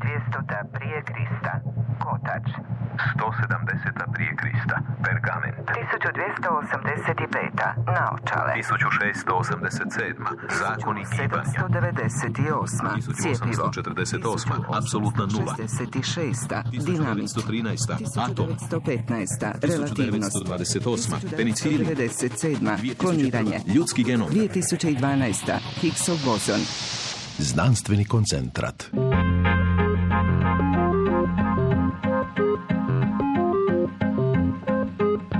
1200. prije Krista, kotač. 170. prije Krista, pergament. 1285. naočale. 1687. zakoni gibanja. 798. cjepivo. 1848. apsolutna nula. 66. dinamit. 1913. atom. 1915. relativnost. 1928. penicilin. 97. kloniranje. Ljudski genom. 2012. Higgsov bozon. Znanstveni koncentrat.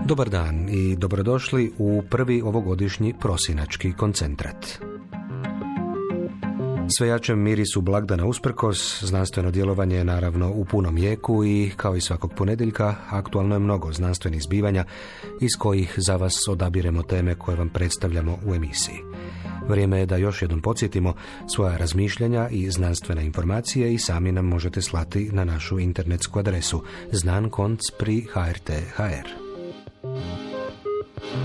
Dobar dan i dobrodošli u prvi ovogodišnji prosinački koncentrat. Sve jačem mirisu blagdana usprkos, znanstveno djelovanje je naravno u punom jeku i, kao i svakog ponedjeljka, aktualno je mnogo znanstvenih zbivanja iz kojih za vas odabiremo teme koje vam predstavljamo u emisiji. Vrijeme je da još jednom podsjetimo svoja razmišljanja i znanstvene informacije i sami nam možete slati na našu internetsku adresu znankonc@hrt.hr.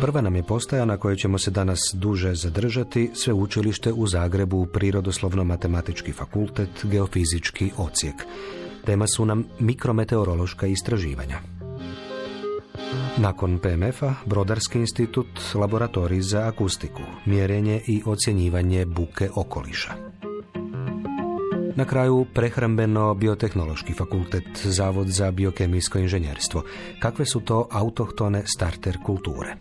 Prva nam je postaja na kojoj ćemo se danas duže zadržati, Sveučilište u Zagrebu, Prirodoslovno-matematički fakultet, Geofizički odsjek. Tema su nam mikrometeorološka istraživanja. Nakon PMF-a, Brodarski institut, laboratorij za akustiku, mjerenje i ocjenjivanje buke okoliša. Na kraju, Prehrambeno-biotehnološki fakultet, Zavod za biokemijsko inženjerstvo. Kakve su to autohtone starter kulture?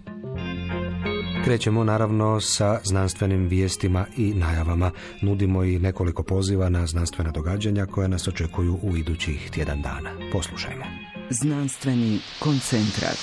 Krećemo naravno sa znanstvenim vijestima i najavama. Nudimo i nekoliko poziva na znanstvena događanja koja nas očekuju u idućih tjedan dana. Poslušajmo. Znanstveni koncentrat.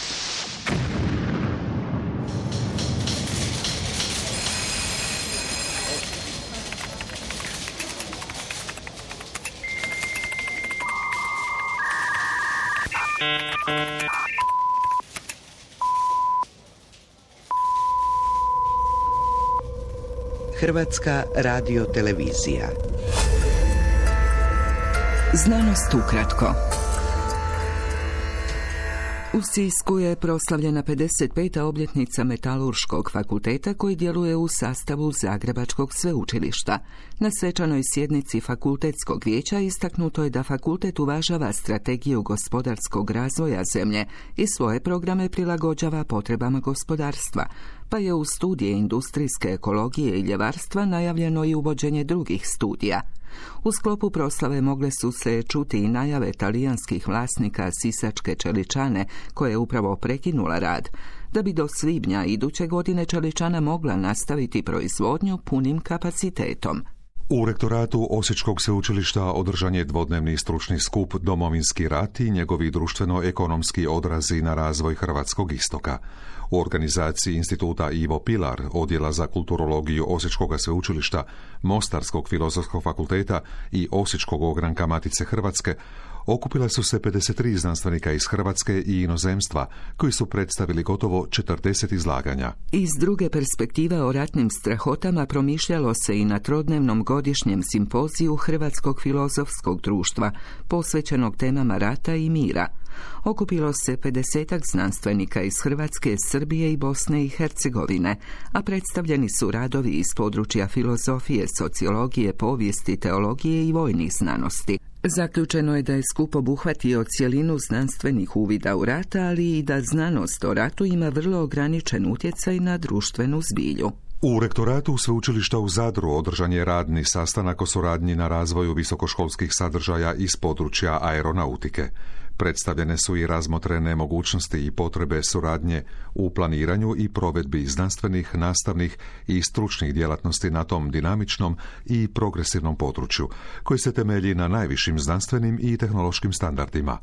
Hrvatska radiotelevizija. Znanost ukratko. U Sisku je proslavljena 55. obljetnica Metalurškog fakulteta koji djeluje u sastavu Zagrebačkog sveučilišta. Na svečanoj sjednici fakultetskog vijeća istaknuto je da fakultet uvažava strategiju gospodarskog razvoja zemlje i svoje programe prilagođava potrebama gospodarstva, pa je u studije industrijske ekologije i ljevarstva najavljeno i uvođenje drugih studija. U sklopu proslave mogle su se čuti i najave talijanskih vlasnika sisačke čeličane, koja je upravo prekinula rad, da bi do svibnja iduće godine čeličana mogla nastaviti proizvodnju punim kapacitetom. U rektoratu Osječkog sveučilišta održan je dvodnevni stručni skup Domovinski rat i njegovi društveno-ekonomski odrazi na razvoj Hrvatskog istoka. U organizaciji Instituta Ivo Pilar, Odjela za kulturologiju Osječkog sveučilišta, Mostarskog filozofskog fakulteta i Osječkog ogranka Matice Hrvatske okupila su se 53 znanstvenika iz Hrvatske i inozemstva koji su predstavili gotovo 40 izlaganja. Iz druge perspektive o ratnim strahotama promišljalo se i na trodnevnom godišnjem simpoziju Hrvatskog filozofskog društva posvećenog temama rata i mira. Okupilo se 50 znanstvenika iz Hrvatske, Srbije i Bosne i Hercegovine, a predstavljeni su radovi iz područja filozofije, sociologije, povijesti, teologije i vojnih znanosti. Zaključeno je da je skup obuhvatio cjelinu znanstvenih uvida u rat, ali i da znanost o ratu ima vrlo ograničen utjecaj na društvenu zbilju. U rektoratu sveučilišta u Zadru održan je radni sastanak o suradnji na razvoju visokoškolskih sadržaja iz područja aeronautike. Predstavljene su i razmotrene mogućnosti i potrebe suradnje u planiranju i provedbi znanstvenih, nastavnih i stručnih djelatnosti na tom dinamičnom i progresivnom području, koji se temelji na najvišim znanstvenim i tehnološkim standardima.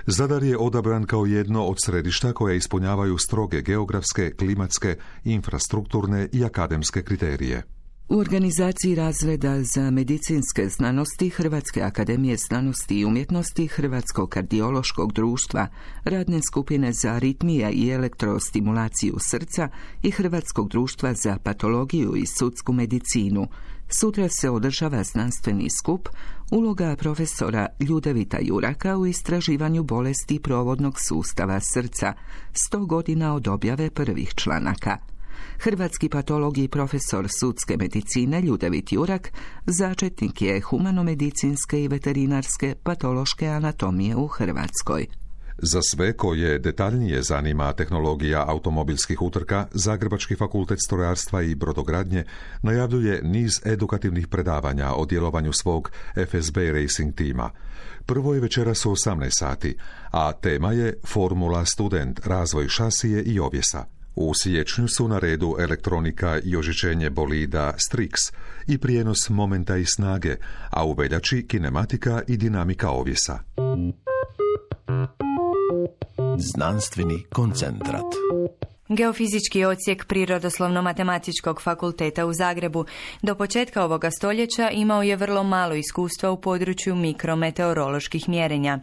Zadar je odabran kao jedno od središta koja ispunjavaju stroge geografske, klimatske, infrastrukturne i akademske kriterije. U organizaciji razreda za medicinske znanosti Hrvatske akademije znanosti i umjetnosti, Hrvatskog kardiološkog društva, radne skupine za aritmije i elektrostimulaciju srca i Hrvatskog društva za patologiju i sudsku medicinu, sutra se održava znanstveni skup Uloga profesora Ljudevita Juraka u istraživanju bolesti provodnog sustava srca, 100 godina od objave prvih članaka. Hrvatski patolog i profesor sudske medicine Ljudevit Jurak začetnik je humanomedicinske i veterinarske patološke anatomije u Hrvatskoj. Za sve koje detaljnije zanima tehnologija automobilskih utrka, Zagrebački fakultet strojarstva i brodogradnje najavljuje niz edukativnih predavanja o djelovanju svog FSB Racing tima. Prvo je večeras u 18 sati, a tema je Formula Student, razvoj šasije i ovjesa. U siječnju su na redu elektronika i ožičenje bolida Strix i prijenos momenta i snage, a u veljači kinematika i dinamika ovjesa. Znanstveni koncentrat. Geofizički odsjek Prirodoslovno-matematičkog fakulteta u Zagrebu do početka ovoga stoljeća imao je vrlo malo iskustva u području mikrometeoroloških mjerenja.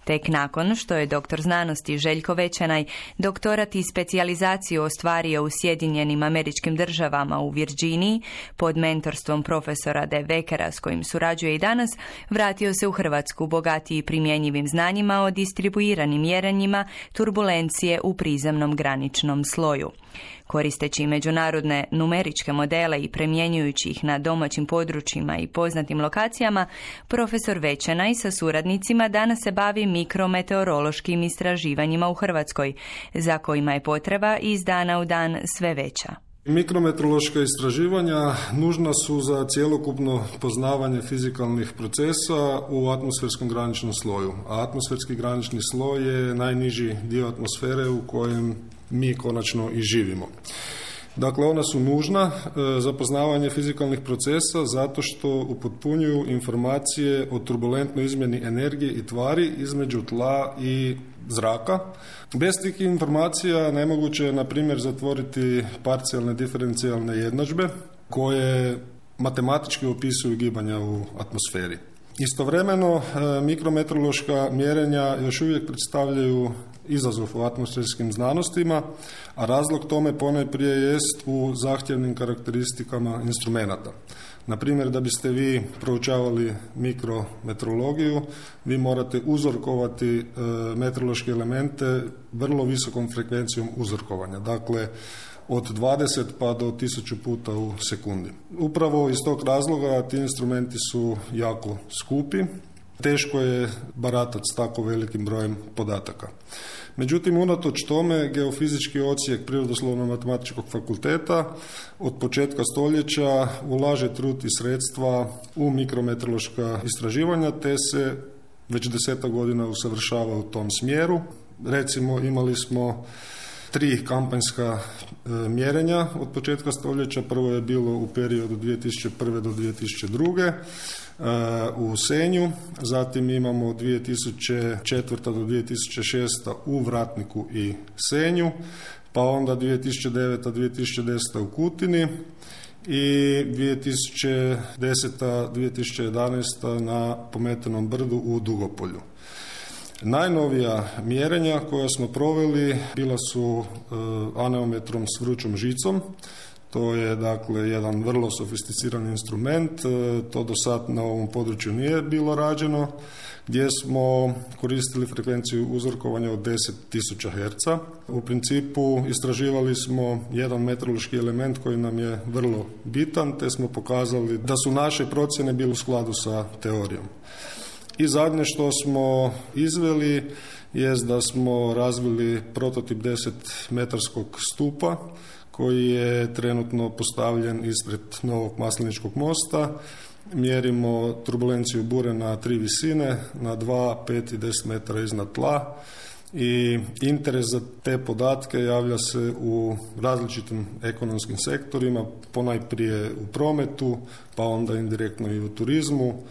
Tek nakon što je doktor znanosti Željko Večanaj doktorat i specijalizaciju ostvario u Sjedinjenim Američkim Državama u Virginiji pod mentorstvom profesora De Vekera s kojim surađuje i danas, vratio se u Hrvatsku bogatiji primjenjivim znanjima o distribuiranim mjerenjima turbulencije u prizemnom graničnom sloju. Koristeći međunarodne numeričke modele i primjenjujući ih na domaćim područjima i poznatim lokacijama, profesor Večanaj sa suradnicima danas se bavi mikrometeorološkim istraživanjima u Hrvatskoj, za kojima je potreba iz dana u dan sve veća. Mikrometeorološka istraživanja nužna su za cjelokupno poznavanje fizikalnih procesa u atmosferskom graničnom sloju. A atmosferski granični sloj je najniži dio atmosfere u kojem mi konačno i živimo. Dakle, ona su nužna za poznavanje fizikalnih procesa zato što upotpunjuju informacije o turbulentnoj izmjeni energije i tvari između tla i zraka. Bez tih informacija nemoguće je, na primjer, zatvoriti parcijalne diferencijalne jednadžbe koje matematički opisuju gibanja u atmosferi. Istovremeno, mikrometeorološka mjerenja još uvijek predstavljaju izazov u atmosferskim znanostima, a razlog tome ponajprije jest u zahtjevnim karakteristikama instrumenata. Na primjer, da biste vi proučavali mikrometeorologiju, vi morate uzorkovati meteorološke elemente vrlo visokom frekvencijom uzorkovanja. Dakle, od 20 pa do 1000 puta u sekundi. Upravo iz tog razloga ti instrumenti su jako skupi. Teško je baratati s tako velikim brojem podataka. Međutim, unatoč tome, geofizički odsjek Prirodoslovno-matematičkog fakulteta od početka stoljeća ulaže trud i sredstva u mikrometeorološka istraživanja, te se već 10 godina usavršava u tom smjeru. Recimo, imali smo 3 kampanjska mjerenja od početka stoljeća. Prvo je bilo u periodu 2001. do 2002. U Senju, zatim imamo 2004. do 2006. u Vratniku i Senju, pa onda 2009. 2010. u Kutini i 2010. 2011. na Pometenom brdu u Dugopolju. Najnovija mjerenja koja smo proveli bila su aneometrom s vrućom žicom. To je dakle jedan vrlo sofisticiran instrument, to do sad na ovom području nije bilo rađeno, gdje smo koristili frekvenciju uzorkovanja od 10.000 Hz. U principu istraživali smo jedan meteorološki element koji nam je vrlo bitan, te smo pokazali da su naše procjene bile u skladu sa teorijom. I zadnje što smo izveli jest da smo razvili prototip 10-metarskog stupa koji je trenutno postavljen ispred Novog Masleničkog mosta. Mjerimo turbulenciju bure na 3 visine, na 2, 5 i 10 metara iznad tla. I interes za te podatke javlja se u različitim ekonomskim sektorima, ponajprije u prometu, pa onda indirektno i u turizmu,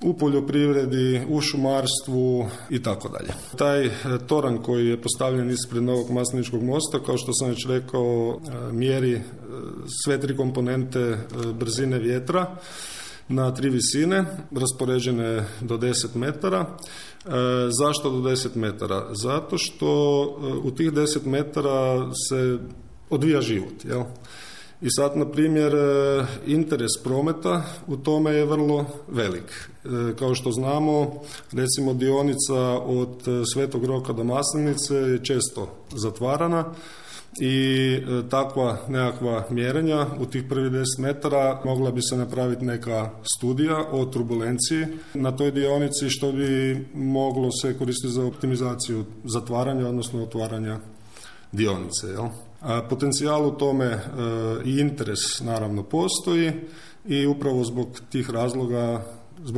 u poljoprivredi, u šumarstvu i tako dalje. Taj toranj koji je postavljen ispred Novog Masleničkog mosta, kao što sam već rekao, mjeri sve 3 komponente brzine vjetra na 3 visine, raspoređene do 10 metara. Zašto do 10 metara? Zato što u tih 10 metara se odvija život, jel? I sad, na primjer, interes prometa u tome je vrlo velik. Kao što znamo, recimo dionica od Svetog Roka do Maslenice je često zatvarana, i takva nekakva mjerenja u tih prvih 10 metara mogla bi se napraviti neka studija o turbulenciji na toj dionici, što bi moglo se koristiti za optimizaciju zatvaranja, odnosno otvaranja dionice. Jel? Potencijal u tome i interes naravno postoji i upravo zbog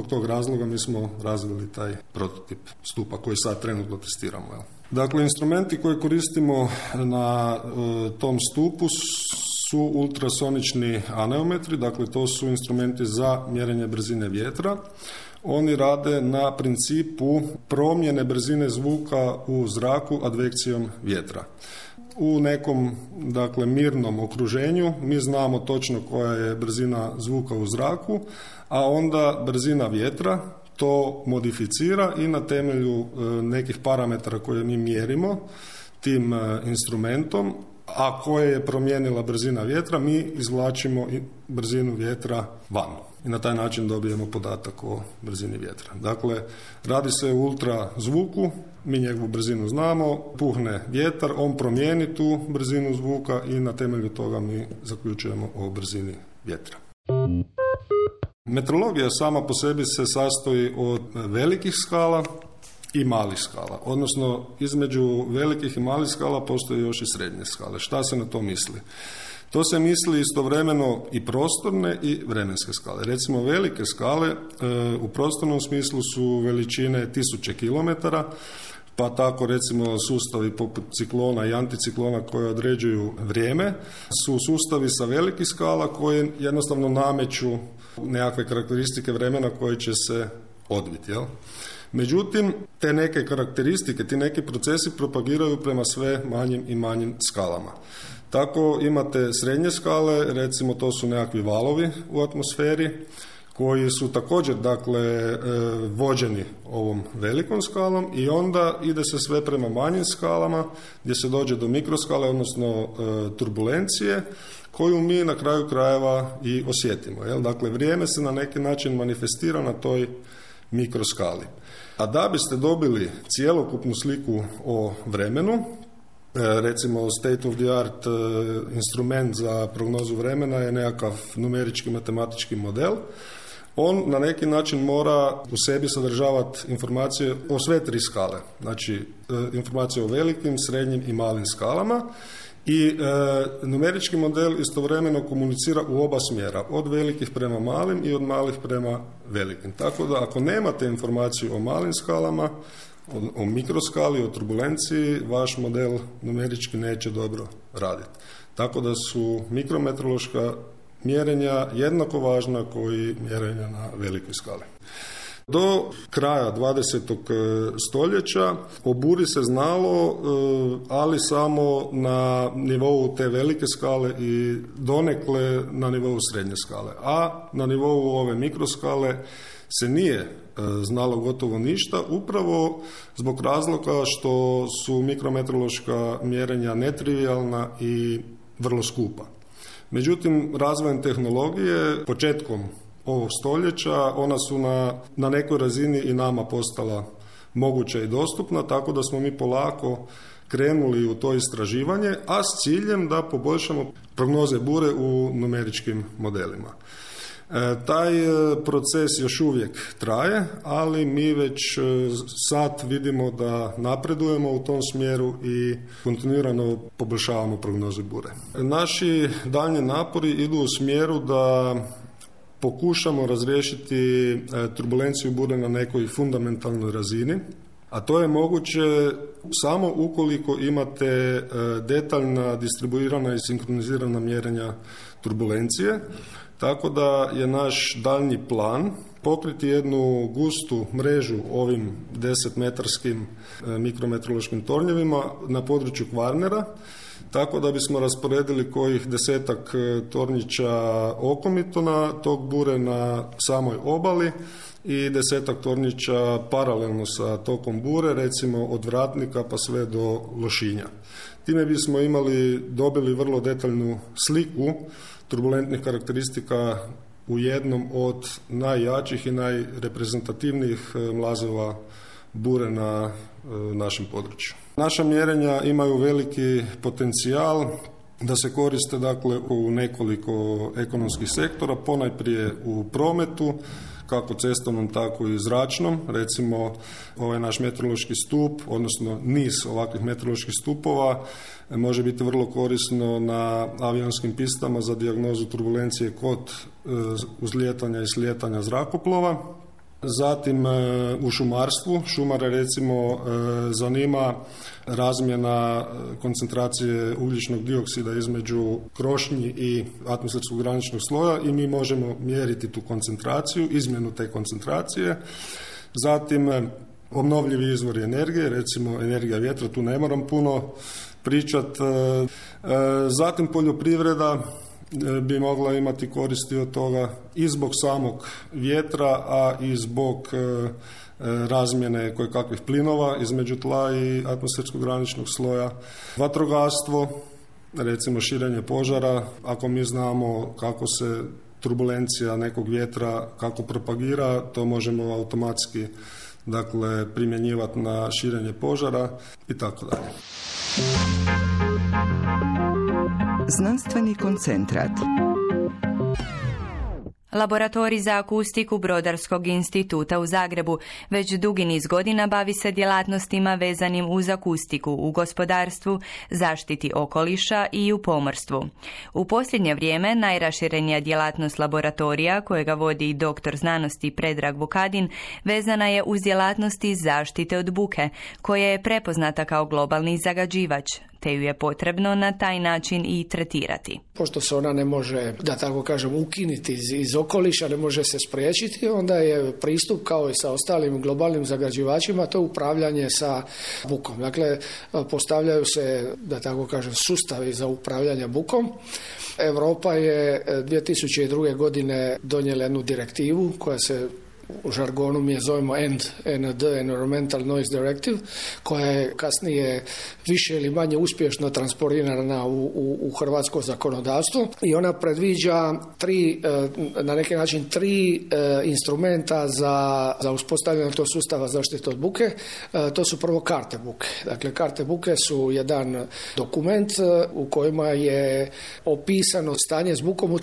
tog razloga mi smo razvili taj prototip stupa koji sad trenutno testiramo. Jel? Dakle, instrumenti koje koristimo na tom stupu su ultrasonični aneometri, dakle to su instrumenti za mjerenje brzine vjetra. Oni rade na principu promjene brzine zvuka u zraku advekcijom vjetra. U nekom, dakle, mirnom okruženju mi znamo točno koja je brzina zvuka u zraku, a onda brzina vjetra to modificira i na temelju nekih parametara koje mi mjerimo tim instrumentom, a koje je promijenila brzina vjetra, mi izvlačimo brzinu vjetra van. I na taj način dobijemo podatak o brzini vjetra. Dakle, radi se o ultrazvuku, mi njegovu brzinu znamo, puhne vjetar, on promijeni tu brzinu zvuka i na temelju toga mi zaključujemo o brzini vjetra. Metrologija sama po sebi se sastoji od velikih skala i malih skala. Odnosno, između velikih i malih skala postoji još i srednje skale. Šta se na to misli? To se misli istovremeno i prostorne i vremenske skale. Recimo, velike skale u prostornom smislu su veličine 1000 kilometara, pa tako recimo sustavi poput ciklona i anticiklona koje određuju vrijeme su sustavi sa velikih skala koje jednostavno nameću nekakve karakteristike vremena koje će se odviti. Jel? Međutim, te neke karakteristike, ti neki procesi propagiraju prema sve manjim i manjim skalama. Tako imate srednje skale, recimo to su nekakvi valovi u atmosferi, koji su također, dakle, vođeni ovom velikom skalom i onda ide se sve prema manjim skalama gdje se dođe do mikroskale, odnosno turbulencije, koju mi na kraju krajeva i osjetimo. Jel? Dakle, vrijeme se na neki način manifestira na toj mikroskali. A da biste dobili cjelokupnu sliku o vremenu, recimo state of the art instrument za prognozu vremena je nekakav numerički matematički model. On na neki način mora u sebi sadržavati informacije o sve tri skale. Znači, informacije o velikim, srednjim i malim skalama. I numerički model istovremeno komunicira u oba smjera, od velikih prema malim i od malih prema velikim. Tako da ako nemate informaciju o malim skalama, o mikroskali, o turbulenciji, vaš model numerički neće dobro raditi. Tako da su mikrometeorološka mjerenja jednako važna koji mjerenja na velikoj skali. Do kraja 20. stoljeća o buri se znalo, ali samo na nivou te velike skale i donekle na nivou srednje skale. A na nivou ove mikroskale se nije znalo gotovo ništa, upravo zbog razloga što su mikrometeorološka mjerenja netrivijalna i vrlo skupa. Međutim, razvojem tehnologije, početkom ovog stoljeća, ona su na nekoj razini i nama postala moguća i dostupna, tako da smo mi polako krenuli u to istraživanje, a s ciljem da poboljšamo prognoze bure u numeričkim modelima. Taj proces još uvijek traje, ali mi već sad vidimo da napredujemo u tom smjeru i kontinuirano poboljšavamo prognoze bure. Naši daljnji napori idu u smjeru da pokušamo razriješiti turbulenciju bure na nekoj fundamentalnoj razini, a to je moguće samo ukoliko imate detaljna, distribuirana i sinkronizirana mjerenja turbulencije. Tako da je naš daljnji plan pokriti jednu gustu mrežu ovim 10-metarskim mikrometeorološkim tornjevima na području Kvarnera, tako da bismo rasporedili kojih 10-ak tornjića okomitona tog bure na samoj obali i 10-ak tornjića paralelno sa tokom bure, recimo od Vratnika pa sve do Lošinja. Time bismo dobili vrlo detaljnu sliku turbulentnih karakteristika u jednom od najjačih i najreprezentativnijih mlazova bure na našem području. Naša mjerenja imaju veliki potencijal da se koriste dakle u nekoliko ekonomskih sektora, ponajprije u prometu, kako cestovnom, tako i zračnom. Recimo, ovaj naš meteorološki stup, odnosno niz ovakvih meteoroloških stupova, može biti vrlo korisno na avionskim pistama za dijagnozu turbulencije kod uzlijetanja i slijetanja zrakoplova. Zatim u šumarstvu, šumare recimo zanima razmjena koncentracije ugljičnog dioksida između krošnji i atmosferskog graničnog sloja i mi možemo mjeriti tu koncentraciju, izmjenu te koncentracije. Zatim obnovljivi izvori energije, recimo energija vjetra, tu ne moram puno pričati. Zatim poljoprivreda bi mogla imati koristi od toga i zbog samog vjetra, a i zbog razmjene kojekakvih plinova između tla i atmosferskog graničnog sloja. Vatrogastvo, recimo širenje požara, ako mi znamo kako se turbulencija nekog vjetra kako propagira, to možemo automatski dakle primjenjivati na širenje požara i tako dalje. Znanstveni koncentrat. Laboratorij za akustiku Brodarskog instituta u Zagrebu već dugi niz godina bavi se djelatnostima vezanim uz akustiku u gospodarstvu, zaštiti okoliša i u pomorstvu. U posljednje vrijeme najraširenija djelatnost laboratorija, kojega vodi doktor znanosti Predrag Vukadin, vezana je uz djelatnosti zaštite od buke, koja je prepoznata kao globalni zagađivač, te ju je potrebno na taj način i tretirati. Pošto se ona ne može, da tako kažem, ukinuti iz okoliša, ne može se spriječiti, onda je pristup kao i sa ostalim globalnim zagađivačima, to je upravljanje sa bukom. Dakle, postavljaju se, da tako kažem, sustavi za upravljanje bukom. Europa je 2002. godine donijela jednu direktivu koja se u žargonu mi je zovemo END, Environmental Noise Directive, koja je kasnije više ili manje uspješno transportirana u hrvatsko zakonodavstvo i ona predviđa na neki način tri instrumenta za uspostavljanje tog sustava zaštite od buke. To su prvo karte buke. Dakle, karte buke su jedan dokument u kojima je opisano stanje s bukom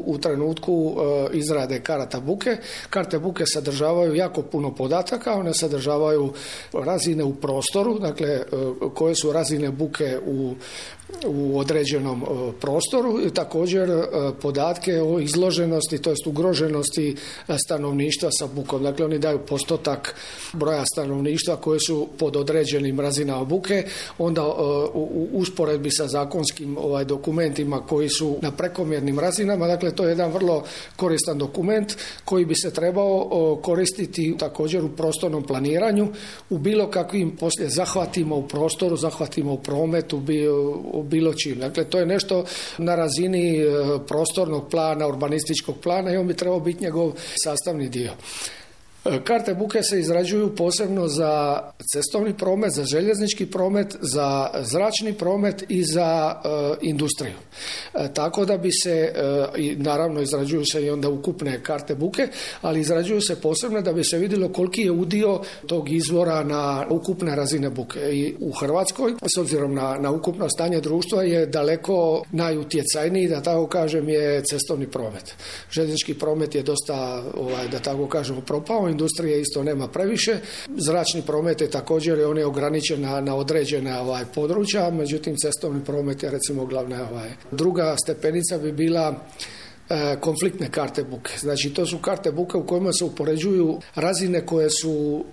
u trenutku izrade karata buke. Karte buke sadržavaju jako puno podataka, one sadržavaju razine u prostoru, dakle koje su razine buke u određenom prostoru i također podatke o izloženosti, to jest ugroženosti stanovništva sa bukom. Dakle, oni daju postotak broja stanovništva koje su pod određenim razinama buke, onda u usporedbi sa zakonskim dokumentima koji su na prekomjernim razinama. Dakle, to je jedan vrlo koristan dokument koji bi se trebao koristiti također u prostornom planiranju, u bilo kakvim poslije zahvatima u prostoru, zahvatima u prometu, bilo čim. Dakle, to je nešto na razini prostornog plana, urbanističkog plana i on bi trebao biti njegov sastavni dio. Karte buke se izrađuju posebno za cestovni promet, za željeznički promet, za zračni promet i za industriju. Tako da bi se, naravno izrađuju se i onda ukupne karte buke, ali izrađuju se posebno da bi se vidjelo koliki je udio tog izvora na ukupne razine buke. I u Hrvatskoj, s obzirom na ukupno stanje društva, je daleko najutjecajniji, da tako kažem, je cestovni promet. Željeznički promet je dosta, da tako kažem, propao, industrije isto nema previše. Zračni promet je također, on je ograničen na određena područja, međutim cestovni promet je recimo glavna. Druga stepenica bi bila konfliktne karte buke. Znači, to su karte buke u kojima se upoređuju razine koje su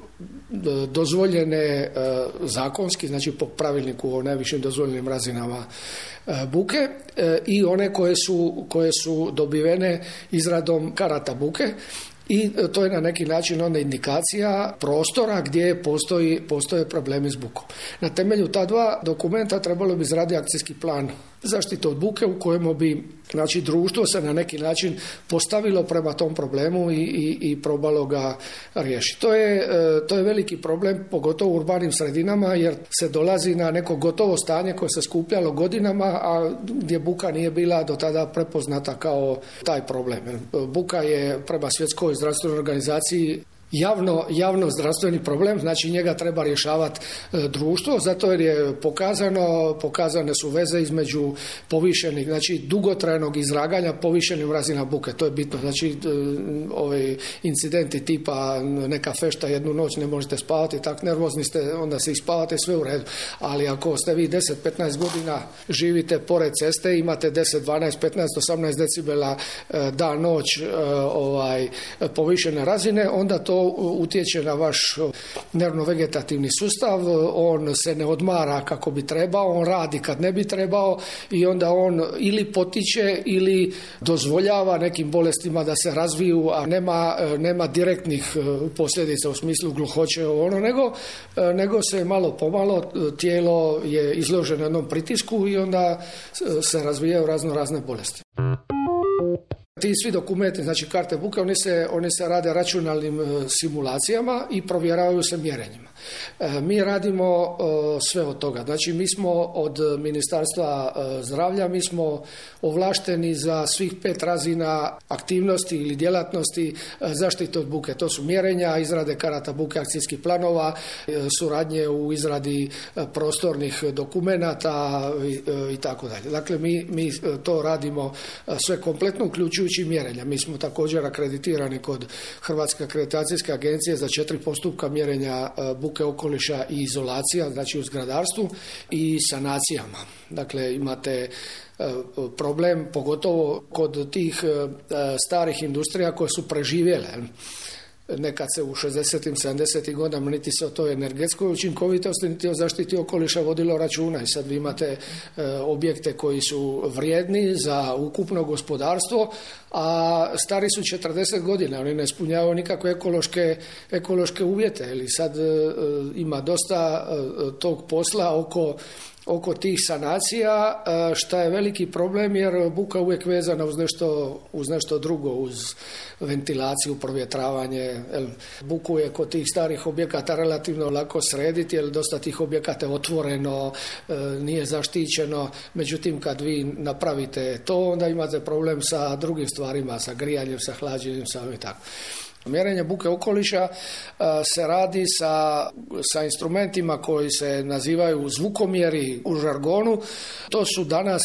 dozvoljene zakonski, znači po pravilniku o najvišim dozvoljenim razinama buke i one koje su dobivene izradom karata buke. I to je na neki način onda indikacija prostora gdje postoje problemi s bukom. Na temelju ta dva dokumenta trebalo bi izraditi akcijski plan zaštite od buke u kojemu bi, znači, društvo se na neki način postavilo prema tom problemu i probalo ga riješiti. To je veliki problem, pogotovo u urbanim sredinama, jer se dolazi na neko gotovo stanje koje se skupljalo godinama, a gdje buka nije bila do tada prepoznata kao taj problem. Buka je prema Svjetskoj zdravstvenoj organizaciji javno zdravstveni problem, znači njega treba rješavati društvo, zato jer je pokazane su veze između povišenih, znači dugotrajnog izlaganja povišenim razinama buke, to je bitno, znači ove incidenti tipa neka fešta jednu noć ne možete spavati, tak nervozni ste, onda se ispavate, sve u redu, ali ako ste vi 10-15 godina živite pored ceste, imate 10, 12, 15, 18 decibela dan, noć povišene razine, onda to utječe na vaš nervno-vegetativni sustav, on se ne odmara kako bi trebao, on radi kad ne bi trebao i onda on ili potiče ili dozvoljava nekim bolestima da se razviju, a nema direktnih posljedica u smislu gluhoće nego se malo pomalo tijelo je izloženo jednom pritisku i onda se razvijaju razne bolesti. Ti svi dokumenti, znači karte buke, oni se rade računalnim simulacijama i provjeravaju se mjerenjima. Mi radimo sve od toga. Znači mi smo od Ministarstva zdravlja, mi smo ovlašteni za svih 5 razina aktivnosti ili djelatnosti zaštite od buke. To su mjerenja, izrade karata buke, akcijskih planova, suradnje u izradi prostornih dokumenata i tako dalje. Dakle, mi to radimo sve kompletno, uključujući mjerenja. Mi smo također akreditirani kod Hrvatske akreditacijske agencije za 4 postupka mjerenja buke okoliša i izolacija, znači u zgradarstvu i sanacijama. Dakle, imate problem pogotovo kod tih starih industrija koje su preživjele. Nekad se u 60. 70. godinama niti se o toj energetskoj učinkovitosti niti o zaštiti okoliša vodilo računa i sad vi imate objekte koji su vrijedni za ukupno gospodarstvo, a stari su 40 godina, oni ne ispunjavaju nikakve ekološke uvjete. Ili sad ima dosta tog posla oko tih sanacija, šta je veliki problem jer buka uvijek vezana uz nešto drugo, uz ventilaciju, provjetravanje. Buku je kod tih starih objekata relativno lako srediti jer dosta tih objekata je otvoreno, nije zaštićeno, međutim kad vi napravite to onda imate problem sa drugim stvarima, sa grijanjem, sa hlađenjem, sa i tako. Mjerenje buke okoliša se radi sa instrumentima koji se nazivaju zvukomjeri u žargonu. To su danas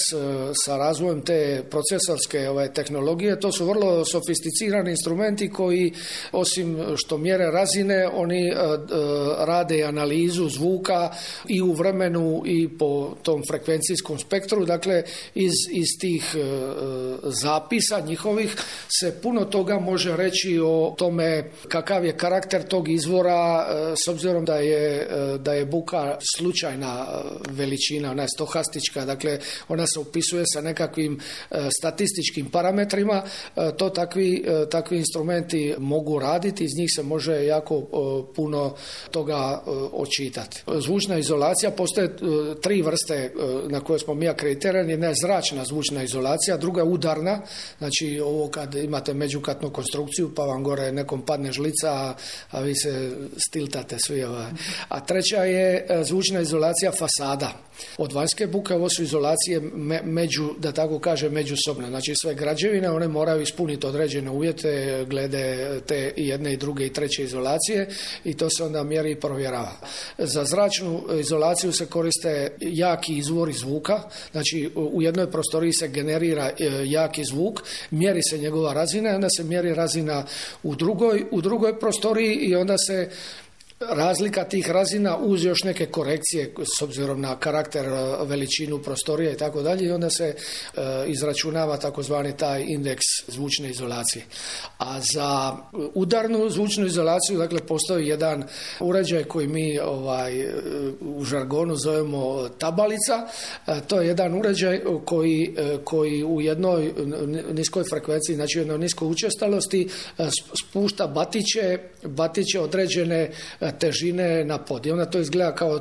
sa razvojem te procesorske tehnologije, to su vrlo sofisticirani instrumenti koji osim što mjere razine, oni rade analizu zvuka i u vremenu i po tom frekvencijskom spektru. Dakle, iz tih zapisa njihovih se puno toga može reći o tome kakav je karakter tog izvora s obzirom da je buka slučajna veličina, ona je stohastička, dakle ona se upisuje sa nekakvim statističkim parametrima, to takvi instrumenti mogu raditi, iz njih se može jako puno toga očitati. Zvučna izolacija, postoje 3 vrste na koje smo mi akreditirani, jedna je zračna zvučna izolacija, druga je udarna, znači ovo kad imate međukatnu konstrukciju pa vam gore nekom padne žlica, a vi se stiltate svi. A treća je zvučna izolacija fasada. Od vanjske buke ovo su izolacije da tako kažem, međusobne. Znači sve građevine, one moraju ispuniti određene uvjete glede te jedne i druge i treće izolacije i to se onda mjeri i provjerava. Za zračnu izolaciju se koriste jaki izvori zvuka, znači u jednoj prostoriji se generira jaki zvuk, mjeri se njegova razina, onda se mjeri razina u drugoj prostoriji i onda se razlika tih razina uz još neke korekcije s obzirom na karakter, veličinu prostorije i tako dalje i onda se izračunava takozvani taj indeks zvučne izolacije. A za udarnu zvučnu izolaciju, dakle, postoji jedan uređaj koji mi u žargonu zovemo tabalica. To je jedan uređaj koji u jednoj niskoj frekvenciji, znači u jednoj niskoj učestalosti spušta batiće određene težine na pod. I onda to izgleda kao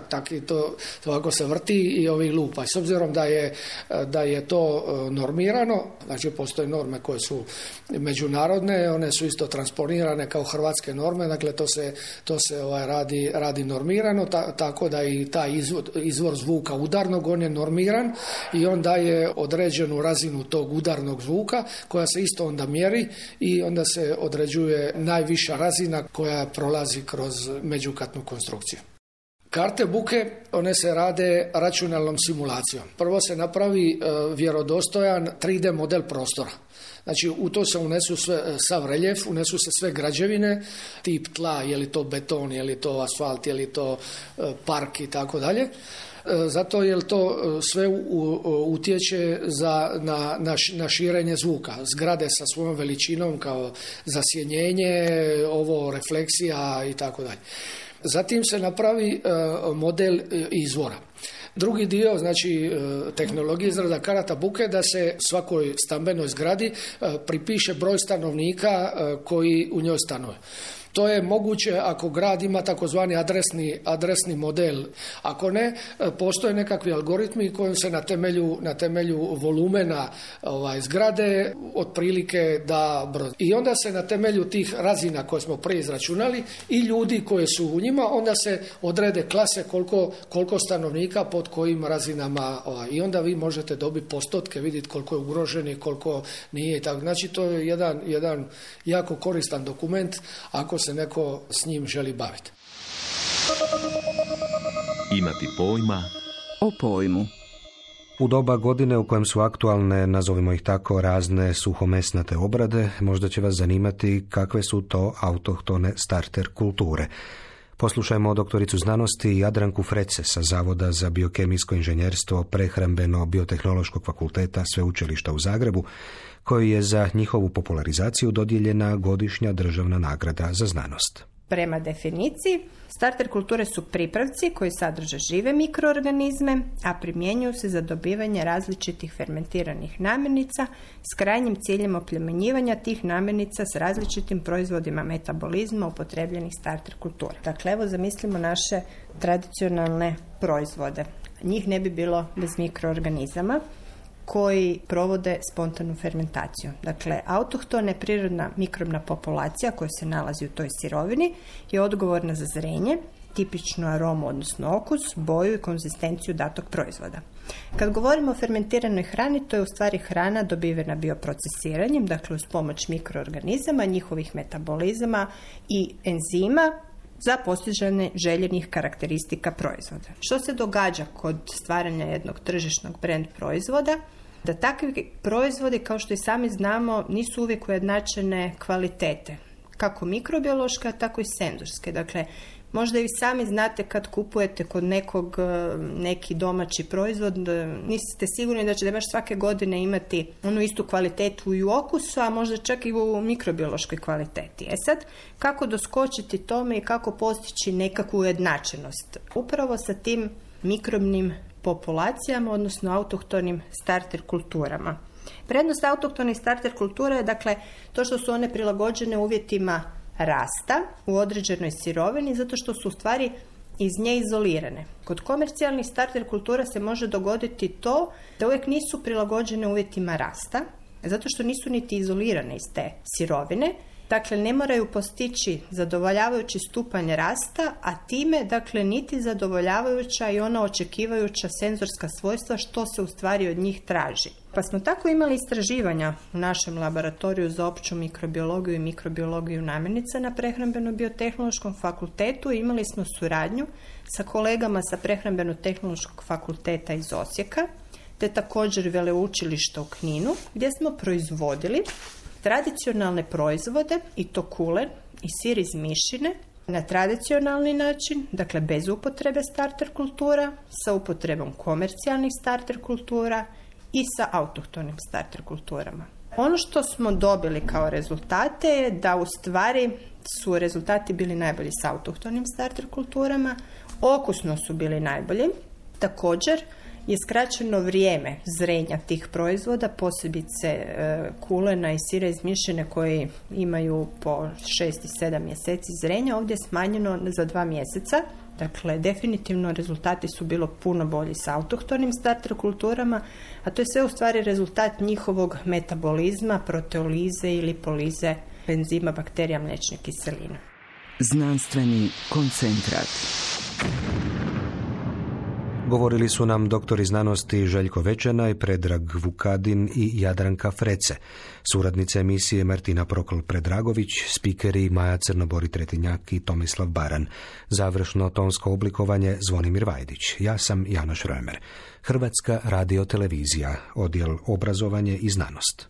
tak i to ovako se vrti i ovi lupa. I s obzirom da je to normirano, znači postoje norme koje su međunarodne, one su isto transponirane kao hrvatske norme, dakle to se radi normirano, tako da i taj izvor zvuka udarnog, on je normiran i on daje određenu razinu tog udarnog zvuka koja se isto onda mjeri i onda se određuje najviša razina koja prolazi kroz međukatnu konstrukciju. Karte buke, one se rade računalnom simulacijom. Prvo se napravi vjerodostojan 3D model prostora. Znači u to se unesu sav reljef, unesu se sve građevine, tip tla, je li to beton, je li to asfalt, je li to park i tako dalje. Zato jer to sve utječe na širenje zvuka. Zgrade sa svojom veličinom kao zasjenjenje, refleksija i tako dalje. Zatim se napravi model izvora. Drugi dio, znači tehnologije izrada karata buke, da se svakoj stambenoj zgradi pripiše broj stanovnika koji u njoj stanuje. To je moguće ako grad ima takozvani adresni model. Ako ne, postoje nekakvi algoritmi kojim se na temelju volumena zgrade otprilike da broj. I onda se na temelju tih razina koje smo prije izračunali i ljudi koji su u njima, onda se odrede klase koliko stanovnika pod kojim razinama. I onda vi možete dobiti postotke, vidjeti koliko je ugroženi, koliko nije. Znači to je jedan jako koristan dokument ako se neko s njim želi baviti. Imati pojma o pojmu. U doba godine u kojem su aktualne, nazovimo ih tako, razne suhomesnate obrade, možda će vas zanimati kakve su to autohtone starter kulture. Poslušajmo doktoricu znanosti Jadranku Frece sa Zavoda za biokemijsko inženjerstvo Prehrambeno-biotehnološkog fakulteta Sveučilišta u Zagrebu, koji je za njihovu popularizaciju dodijeljena godišnja državna nagrada za znanost. Prema definiciji, starter kulture su pripravci koji sadrže žive mikroorganizme, a primjenjuju se za dobivanje različitih fermentiranih namirnica s krajnjim ciljem oplemenjivanja tih namirnica s različitim proizvodima metabolizma upotrebljenih starter kultura. Dakle, evo zamislimo naše tradicionalne proizvode. Njih ne bi bilo bez mikroorganizama koji provode spontanu fermentaciju. Dakle, autohtona prirodna mikrobna populacija koja se nalazi u toj sirovini je odgovorna za zrenje, tipičnu aromu, odnosno okus, boju i konzistenciju datog proizvoda. Kad govorimo o fermentiranoj hrani, to je u stvari hrana dobivena bioprocesiranjem, dakle uz pomoć mikroorganizama, njihovih metabolizama i enzima za postizanje željenih karakteristika proizvoda. Što se događa kod stvaranja jednog tržišnog brand proizvoda? Da takvi proizvodi, kao što i sami znamo, nisu uvijek ujednačene kvalitete, kako mikrobiološke, tako i senzorske. Dakle, možda i sami znate kad kupujete kod nekog neki domaći proizvod, niste sigurni da ćete baš svake godine imati onu istu kvalitetu i u okusu, a možda čak i u mikrobiološkoj kvaliteti. Sad, kako doskočiti tome i kako postići nekakvu ujednačenost? Upravo sa tim mikrobnim populacijama, odnosno autohtonim starter kulturama. Prednost autohtonih starter kultura je dakle to što su one prilagođene uvjetima rasta u određenoj sirovini, zato što su u stvari iz nje izolirane. Kod komercijalnih starter kultura se može dogoditi to da uvijek nisu prilagođene uvjetima rasta, zato što nisu niti izolirane iz te sirovine. Dakle, ne moraju postići zadovoljavajući stupanj rasta, a time, dakle, niti zadovoljavajuća i ona očekivajuća senzorska svojstva što se u stvari od njih traži. Pa smo tako imali istraživanja u našem laboratoriju za opću mikrobiologiju i mikrobiologiju namirnica na Prehrambeno-biotehnološkom fakultetu. Imali smo suradnju sa kolegama sa Prehrambeno-tehnološkog fakulteta iz Osijeka, te također veleučilišta u Kninu, gdje smo proizvodili tradicionalne proizvode i to kulen i sir iz mišine na tradicionalni način, dakle bez upotrebe starter kultura, sa upotrebom komercijalnih starter kultura i sa autohtonim starter kulturama. Ono što smo dobili kao rezultate je da u stvari su rezultati bili najbolji s autohtonim starter kulturama, okusno su bili najbolji. Također je skraćeno vrijeme zrenja tih proizvoda, posebice kulena i sira iz mišine koji imaju po 6 i 7 mjeseci zrenja, ovdje je smanjeno za 2 mjeseca. Dakle, definitivno rezultati su bilo puno bolji sa autohtonim starter kulturama, a to je sve u stvari rezultat njihovog metabolizma, proteolize ili polize enzima bakterija mliječne kiseline. Znanstveni koncentrat. Govorili su nam doktori znanosti Željko Večanaj, Predrag Vukadin i Jadranka Frece, suradnice emisije Martina Prokl-Predragović, spikeri Maja Crnobori-Tretinjak i Tomislav Baran, završno tonsko oblikovanje Zvonimir Vajdić. Ja sam Janoš Römer. Hrvatska radiotelevizija, odjel obrazovanje i znanost.